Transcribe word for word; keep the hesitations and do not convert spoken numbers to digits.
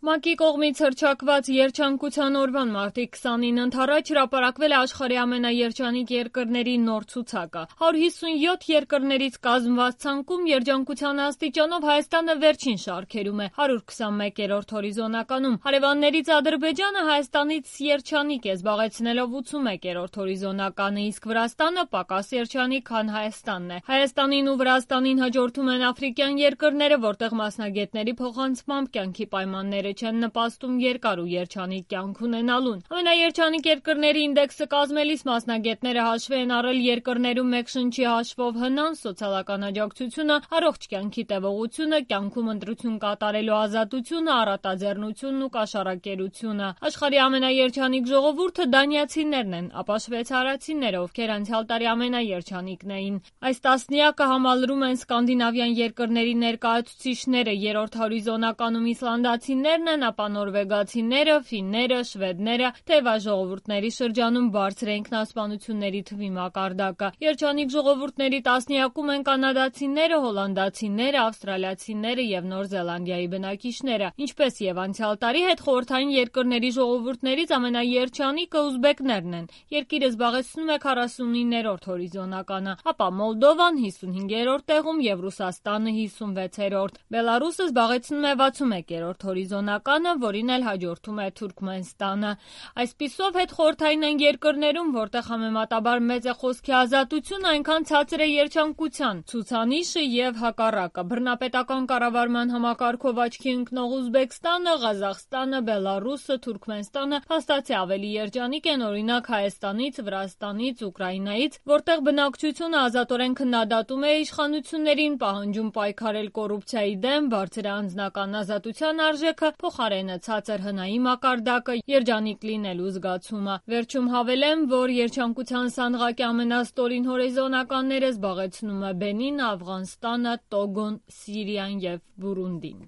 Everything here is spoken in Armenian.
ՄԱԿ-ի կողմից հռչակված Երջանկության օրվան մարտի քսանինը ընդառաջ հրապարակվել է աշխարհի ամենաերջանիկ երկրների նոր ցուցակը։ հարյուր հիսունյոթ երկրներից կազմված ցանկում երջանկության աստիճանով Հայաստանը վերջին շարքերում է՝ հարյուր քսանմեկերորդ հորիզոնականում։ Հարևաններից Ադրբեջանը Հայաստանից երջանիկ է, զբաղեցնելով ութսունմեկերորդ հորիզոնականը, իսկ Վրաստանը պակաս երջանիկ, քան Հայաստանն է։ Հայաստանին ու Վրաստանին հաջորդում են աֆրիկյան երկրները, որտեղ մասնագետների փոխանցմամբ կյանքի պայմանները չեն նպաստում երկար ու երջանիկ կյանք ունենալուն։ Ամենաերջանիկ երկրների ինդեքսը կազմելիս մասնագետները հաշվի են առել երկրներում մեկ շնչի հաշվով հնան, սոցիալական աջակցությունը, առողջ կյանքի տևողությունը, կյանքում ընտրություն կատարելու ազատությունը, առատաձեռնությունն ու կաշառակերությունը։ Աշխարհի ամենաերջանիկ ժողովուրդը դանիացիներն են, ապա շվեյցարացիները, ովքեր անցյալ տարի ամենաերջանիկն էին։ Այս տասնյակը համալրում են սկանդինավյան երկրների ներկայացուցիչները, երրորդ հորիզոնականում իսլանդացիներն են, ապա նորվեգացիները, ֆինները, շվեդները, թեև այս ժողովուրդների շրջանում բարձր է ինքնասպանությունների թվի մակարդակը։ Երջանիկ ժողովուրդների տասնյակում են կանադացիները, հոլանդացիները, ավստրալիացիները եւ Նոր Զելանդիայի բնակիչները։ Ինչպես եւ անցյալ տարի, հետխորհրդային երկրների ժողովուրդներից ամենաերջանիկը ուզբեկներն են։ Երկիրը զբաղեցնում է քառասունիններորդ հորիզոնականը, ապա Մոլդովան հիսունհինգերորդ տեղում եւ Ռուսաստանը հիսունվեցերորդ։ Բելարուսը զբաղեցնում է վաթսունմեկերորդ հորիզոնականը, որին էլ հաջորդում է Թուրքմենստանը։ Այսպիսով, հետխորհրդային են երկրներում, որտեղ համեմատաբար մեծ է խոսքի ազատությունը, այնքան ցածր է երջանկության ցուցանիշը եւ հակառակը։ Բռնապետական կառավարման համակարգով աչքի ընկնող Ուզբեկստանը, Ղազախստանը, Բելարուսը, Թուրքմենստանը փաստացի ավելի երջանիկ են, օրինակ Հայաստանից, Վրաստանից, Ուկրաինայից, որտեղ բնակչությունը ազատորեն քննադատում է իշխանություններին, պահանջում պայքարել կոռուպցիայի դեմ, բարձր է անձնական ազատության արժեքը, փոխարենը ցածր հնայի մակարդակը, երջանիկ լինելու զգացումը։ Վերջում հավելեմ, որ երջանկության սանդղակի ամենաստորին հորիզոնականները զբաղեցնում է Բենինը, Աֆղանստանը, Տոգոն, Սիրիան եւ Բուրունդին։